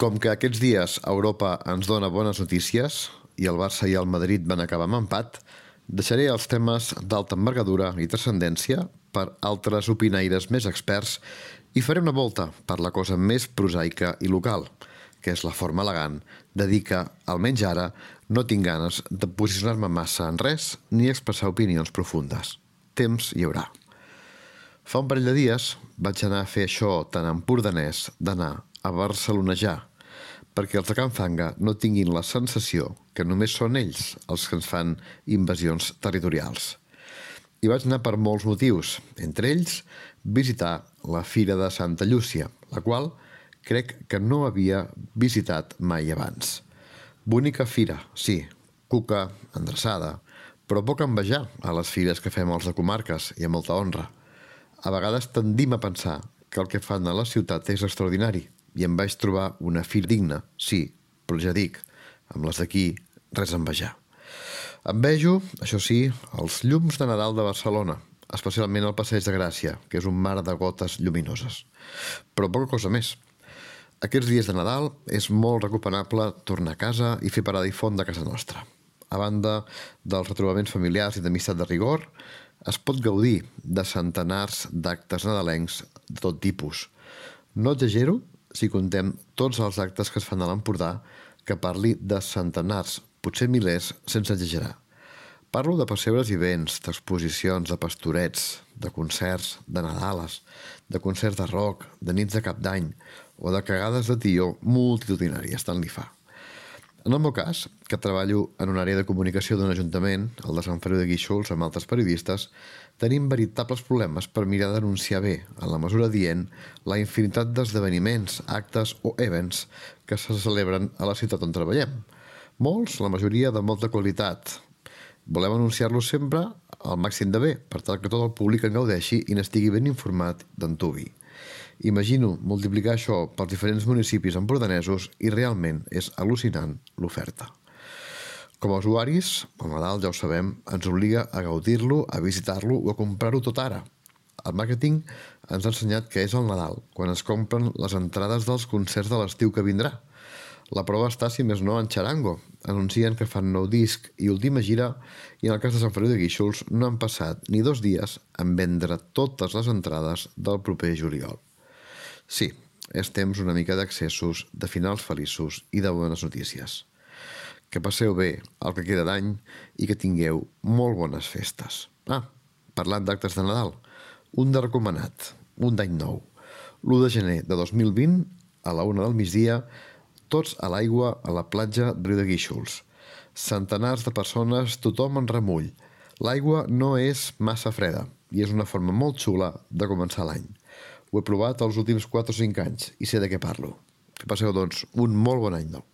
Com que aquests dies Europa ens dona bones notícies i el Barça i el Madrid van acabar amb empat, deixaré els temes d'alta envergadura i transcendència per altres opinaires més experts i faré una volta per la cosa més prosaica i local, que és la forma elegant de dir que, almenys ara, no tinc ganes de posicionar-me massa en res ni expressar opinions profundes. Temps hi haurà. Fa un parell de dies vaig anar a fer això tan empordanès d'anar a barcelonejar, perquè els de Can Fanga no tinguin la sensació que només són ells els que ens fan invasions territorials. I vaig anar per molts motius, entre ells visitar la Fira de Santa Llúcia, la qual crec que no havia visitat mai abans. Bonica fira, sí, cuca, endreçada, però poc a envejar a les fires que fem els de comarques i amb molta honra. A vegades tendim a pensar que el que fan a la ciutat és extraordinari i em vaig trobar una fira digna, sí, però ja dic, amb les d'aquí res a envejar. Envejo, això sí, els llums de Nadal de Barcelona, especialment al Passeig de Gràcia, que és un mar de gotes lluminoses. Però poca cosa més. Aquests dies de Nadal és molt recomanable tornar a casa i fer parada i font de casa nostra. A banda dels retrobaments familiars i d'amistat de rigor, es pot gaudir de centenars d'actes nadalencs de tot tipus. No exagero si contem tots els actes que es fan a l'Empordà, que parli de centenars, potser milers, sense exagerar. Parlo de pessebres i vents, d'exposicions, de pastorets, de concerts, de Nadales, de concerts de rock, de nits de cap d'any o de cagades de tió multitudinàries, tant li fa. En el meu cas, que treballo en una àrea de comunicació d'un ajuntament, el de Sant Feliu de Guíxols, amb altres periodistes, tenim veritables problemes per mirar d'anunciar bé, en la mesura dient, la infinitat d'esdeveniments, actes o events que se celebren a la ciutat on treballem. Molts, la majoria de molta qualitat. Volem anunciar-los sempre al màxim de bé, per tal que tot el públic en gaudeixi i n'estigui ben informat d'on tuvi. Imagino multiplicar això pels diferents municipis empordanesos i realment és al·lucinant l'oferta. Com a usuaris, el Nadal, ja ho sabem, ens obliga a gaudir-lo, a visitar-lo o a comprar-ho tot ara. El màrqueting ens ha ensenyat que és el Nadal, quan es compren les entrades dels concerts de l'estiu que vindrà. La prova està, si més no, en Charango. Anuncien que fan nou disc i última gira i en el cas de Sant Feliu de Guíxols no han passat ni 2 dies en vendre totes les entrades del proper juliol. Sí, és temps una mica d'accessos, de finals feliços i de bones notícies. Que passeu bé el que queda d'any i que tingueu molt bones festes. Parlant d'actes de Nadal, un de recomanat, un d'any nou. L'1 de gener de 2020, a la 1 del migdia, tots a l'aigua a la platja de Riu de Guíxols. Centenars de persones, tothom en remull. L'aigua no és massa freda i és una forma molt xula de començar l'any. Ho he provat els últims 4 o 5 anys i sé de què parlo. Que passeu, doncs, un molt bon any nou.